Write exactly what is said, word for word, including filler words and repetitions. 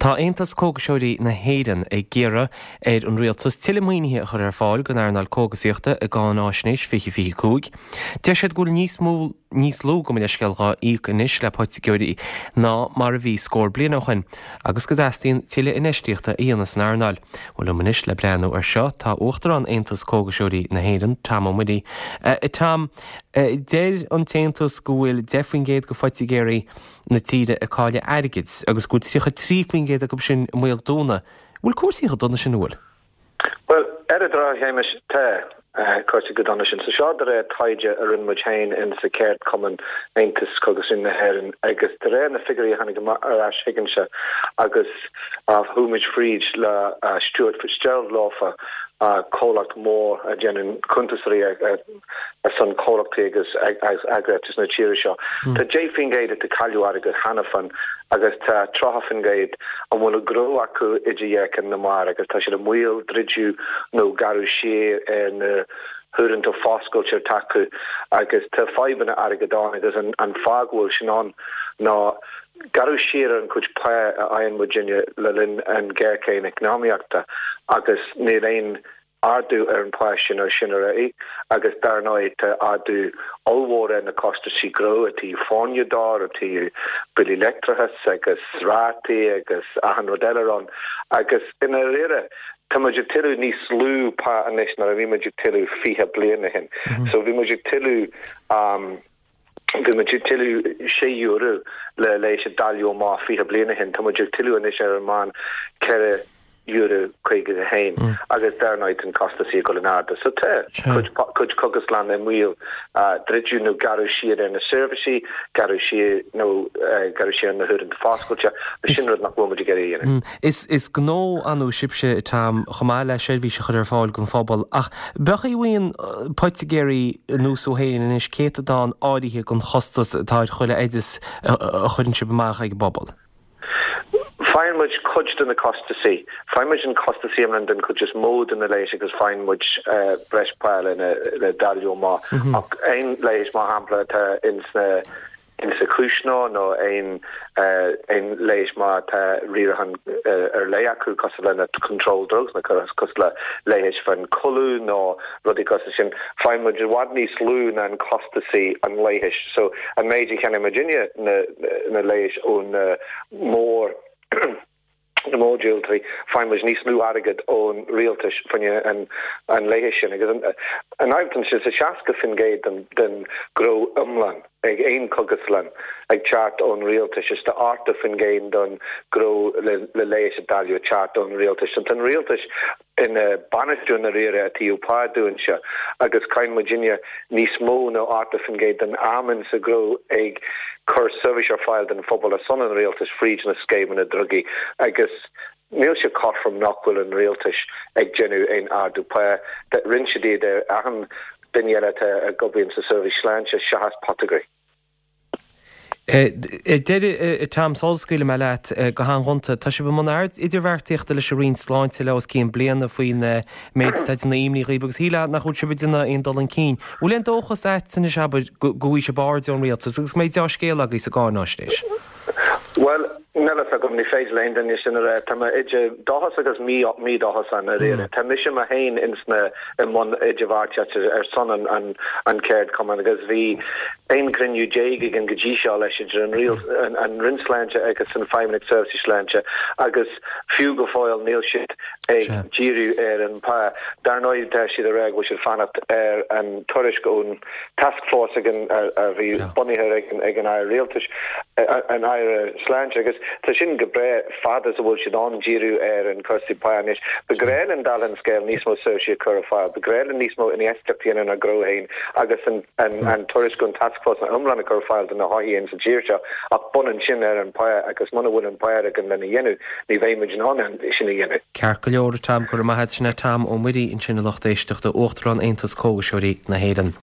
Tá Aontas Cógaiseoirí na hÉireann ag iarraidh ar an rialtas tuilleadh maoinithe a chur ar fáil don earnáil cógaisíochta i gcáináisnéis fiche fiche cúig. Deir siad go bhfuil níos mó níos lú gabh mo leithscéal dhá íoc anois le poitigéirí ná mar a bhí scór bliain ó shin agus go dteastaíonn tuilleadh infheistíochta a dhéanamh san earnáil. Bhuel liom anois le breathnú ar seo tá Uachtarán Aontas Cógaiseoirí na hÉireann, Tom Ó Muirí. Tom, deir an tAontas go bhfuil deich faoin gcéad de phoitigéirí na tíre ag cailleadh airgid agus go bhfuil tríocha trí faoin gcéad acu sin i mbaol dúnadh. Bhfuil cúrsaí chomh dona sin, an bhfuil? Bhuel, ar an drochuair, a Shéamais, tá cúrsaí chomh dona sin. So seo de réir taighde a rinne muid féin in sa cheardchumann Aontas Cógaisíochta na hÉireann agus de réir na figiúirí a tháinig amach ar ais chugainne agus chuaigh muid fríd le Stuart Fitzgerald leofa, comhlacht mór a dhéanann cuntasairí ar son comhlachtaí agus eagraíochtaí na tíre seo. Tá deich faoin gcéad atá ag cailleadh airgead cheana féin agus tá tríocha faoin gcéad a bhfuil a ngnó acu idir dhá cheann na mara agus tá siad i mbaol druideadh nó gearradh siar ar na huaireanta foscailte atá acu agus tá fadhbanna airgid ann agus an fáth go bhfuil sin ann ná gearradh siar ar an chuid pá a fhaigheann muidinne le linn an ghéarchéim eacnamaíochta agus níl aon ardú ar an phá sin ó sin ar aghaidh agus dar ndóigh tá ardú ollmhór ar na costaisí gnó ó thaobh foirne de, ó thaobh billí leictreachais agus rátaí agus achan rud eile ann agus i ndáiríre tá muid ag tuilleamh níos lú pá anois ná a bhí muid ag tuilleamh fiche bliain ó shin. So bhí muid ag tuilleamh bhí muid ag tuilleamh sé euro le leigheas a dáileadh amach fiche bliain ó shin, tá muid ag tuilleamh anois ar an meán ceithre euro caoga a haon agus dar ndóigh tá na costaisí ag dul in airde. So tá cuid cuid cógaslann i mbaol druideadh nó gearradh siar ar na seirbhísí, gearradh siar nó gearradh siar ar na huaireanta foscailte, sin rud nach bhfuil muid ag iarraidh a dhéanamh. Is is gnó ann sibhse, Tom, chomh maith le seirbhís a chur ar fáil don phobal, ach b'é a bhfaigheann poitigéirí anuas ó féin anois céatadán áirithe den chostas atá ar chuile oideas a chuireann sibh amach ag an bpobal. Faigheann muid cuid de na costaisí. Faigheann muid an costaisí iomlán den chuid is mó de na leighis agus faigheann muid breis pá lena le dáileadh amach. Ach aon leigheas, mar shampla, atá ins na insa chúisneoir nó aon aon leigheas má tá riarachán ar leith acu cosúil le na controlled drugs nó cosúil le leigheas fan codladh nó rudaí cosúil sin, faigheann muid i bhfad níos lú ná an costasaí an leighis. So an méid a cheannaigh muidinne na na leighis ó na mór na mórdhíoltóirí, faigheann muid níos lú airgead ón rialtais faoi an an leigheas sin. Agus an an fhadhb ansin is seasca faoin gcéad den den ghnó iomlán ag aon chógaslann ag teacht ón rialtais is tá ochtó faoin gcéad don ghnó le le leigheas a dáileadh ag teacht ón rialtais. So tá an rialtais ina bainistiú i ndáiríre ó thaobh pá dúinse agus caitheann muidinne níos mó ná ochtó faoin gcéad den am insa ghnó ag cur seirbhís ar fáil don phobal ar son an rialtais fríd na scéimeanna drugaí agus níl sé cothrom nach bhfuil an rialtais ag déanamh aon ardú pá. Rinne siad iad ar achan duine eile atá ag obair sa seirbhís sláinte seachas poitigéirí. Ar deireadh, Tom, sula scaoilfidh mé leat go han-ghonta, tá sibh i mbun idirbheartaíochta leis an Roinn Sláinte le os cionn bliana faoin méid atá ag déanamh imní dhaoibh agus shílfeá nach bhfuil sibh ag déanamh aon dul chun cinn. Bhfuil aon dóchas a't anois, abair, go bhfaighidh sibh aird ón rialtas agus go mbeidh deá-scéal agaibh sa gcáináisnéis? Bhuel, níl a fhios agam, ní féidir le aon duine sin a rá. Tá mé idir dóchas agus mídhóchas ann i ndáiríre. Tá mise mé féin ins na, i mbun idirbheartaíochta ar son an, an, an cheardchumainn agus bhí aon chruinniú déag againn go dtí seo leis idir an rial, an, an Roinn Sláinte agus an Feidhmeannacht Seirbhísí Sláinte agus fiú go fóill níl siad ag díriú ar an pá. Dar ndóigh tá siad ag rá go bhfuil siad fanacht ar an tuairisc ón taskforce ag an a bhí bunaithe ag an Aire Rialtais, an Aire Sláinte agus tá sin go breá fad is a bhfuil siad ann díriú ar an cúrsaí pá anois. Ba ghnách linn dála an scéil níos mó seirbhísí a chur ar fáil, ba ghnách linn níos mó infheistíocht a dhéanamh inár ngnó féin agus an an tuairisc ón taskforce an iomlán a chur ar fáil do na hothair sa tír seo ach baineann sin ar an pá agus muna bhfuil an pá againn lena dhéanamh ní bheidh muid in ann sin a dhéanamh. Ceart go leor, a Tom, go raibh maith a't. Sin é Tom Ó Muirí ansin a lucht éisteachta, Uachtarán Aontas Cógaiseoirí na hÉireann.